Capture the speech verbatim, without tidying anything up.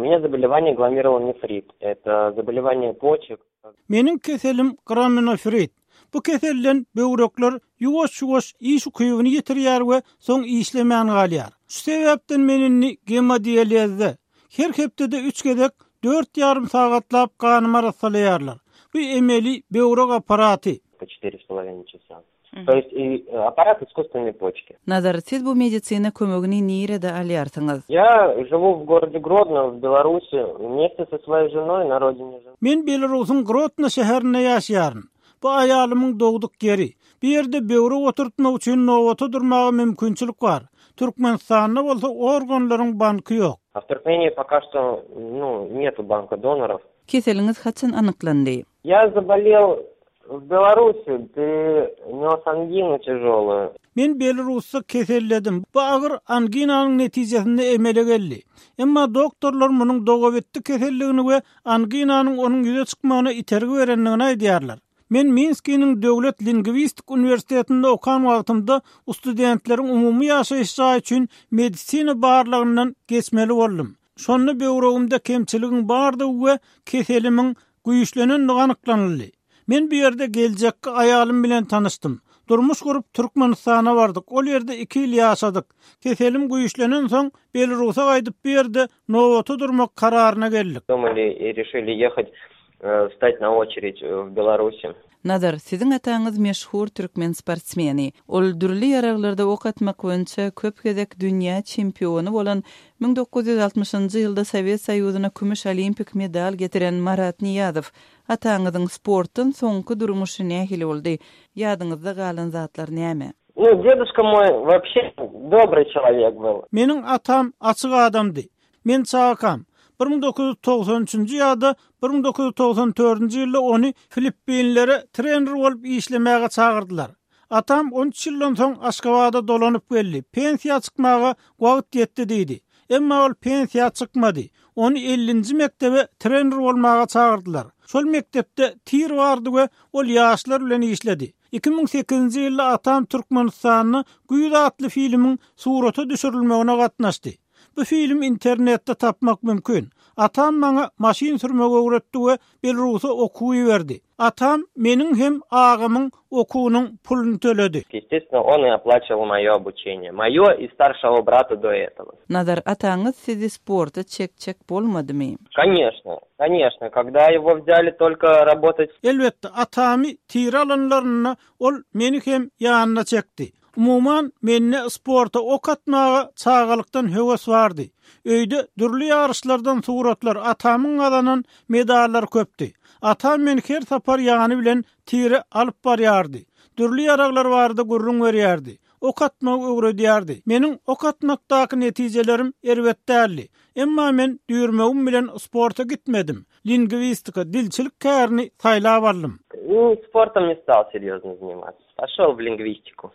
меня заболевание гломерулонефрит. Это заболевание почек. Menin keselim glomerulonefrit. Bu kesellen böwrekler ýuwaş-ýuwaş iş kuyuwyny ýetirýär we soň işlemän galýar. Şu sebäpden menini hemodializde her hepdede üç gezek dört yarım sagatlap kanymy arasalarlar. Bu emeli böwrek aparaty. По четыре с половиной часа. То есть и аппарат искусственной почки. Nazar, siz bu meditsina kömegini nirede alýarsyňyz? Я живу в городе Гродно, в Беларуси, вместе со своей женой на родине. Men Belarusyň Grodno şäherinde ýaşýaryn. Bu ayalymyň dogduk geri. Bir ýerde böwrek oturtmak üçin nowata durmagy mümkinçilik bar. Türkmenistanda bolsa organlaryň banky ýok. А в Туркмении пока что, ну, нету банка доноров. Keseliňiz haçan anyklandy? Я заболел в Беларуси, перенес ангину тяжелую. Men Belarusda keselledim. Bu agyr anginanyň netijesinde emele geldi. Emma doktorlar munyň dogawetli keselligini we anginanyň onuň ýüze çykmagyna itergi berenligini aýdýarlar. Men Minskiň Döwlet Lingwistik Universitetinde okan wagtymda studentleriň umumy ýaşaýyşy üçin medisina barlygyndan geçmeli boldum. Şonu böwregimde kemçiligim bardy we keselimiň güýçlenendigi anyklandy. Men bir ýerde geljekki aýalym bilen tanışdym. Durmuş gurup Türkmenistana bardyk. Ol ýerde iki ýyl ýaşadyk. Keselim güýçlenen soň Belarusa gaýdyp bir ýerde nowata durmak kararyna geldik. Думали и решили ехать, встать на очередь в Беларуси. Nazar, sizin ataňyz meşhur türkmen sportsmeni. Ol dürli ýaraglarda ok atmak boýunça köp gezek dünýä çempiony bolan bin dokuz ýüz altymyşynjy ýylda Sowet Soýuzyna kümüş olimpik medal getiren Marat Niýazow ataňyzyň sportdan soňky durmuşy nähili boldy? Ýadyňyzda galan zatlar näme? Ну, дедушка мой вообще добрый человек был. Menin atam açyk adamdy. Men çakam. bin dokuz ýüz togsan üçinji ýylda bin dokuz ýüz togsan dördünji ýylda ony Filippinlere trener bolup işlemäge çagyrdylar. Atam on üç ýyldan soň Aşgabatda dolanyp geldi. Pensiýa çykmaga wagt ýetdi diýdi. Emma ol pensiýa çykmady. Ony ellinji mektebe trener bolmaga çagyrdylar. Şol mektepde tir bardy we ol ýaşlar bilen işledi. iki bin sekizinji ýylda atam Türkmenistanyň Güýde atly filmiň suraty düşürilmegine gatnaşdy. Bu film internetde tapmak mümkün. Atam bana maşin sürmegi öğretti ve Belarus'a okuyu verdi. Atam menin hem ağamın okuunun pulunu төлedi. Естественно, он и оплачивал мое обучение. Мое и старшего брата до этого. Nazar, ataňyz sizi sporta çekçek bolmadymy? Конечно, конечно. Когда его взяли только работать... Elbette atamy tire alanlaryna ol meni hem ýanyna çekdi. Umuman menne sporta ok atmaga çağalykdan höwes bardy. Öýde dürli ýarışlardan suratlar atamyň adanan medallar köpdi. Atam men her sapar ýany bilen tire alyp barýardy. Dürli ýaraglar bardy, gurrun berýärdi. Ok atmagy öwredýärdi. Meniň ok atmakdaky netijelerim erwetdäli. Emma men düýrmegim bilen sporta gitmedim. Lingwistika, dilçilik kärini saýlap aldym. Ну, спортом не стал серьезно заниматься. Пошел в лингвистику.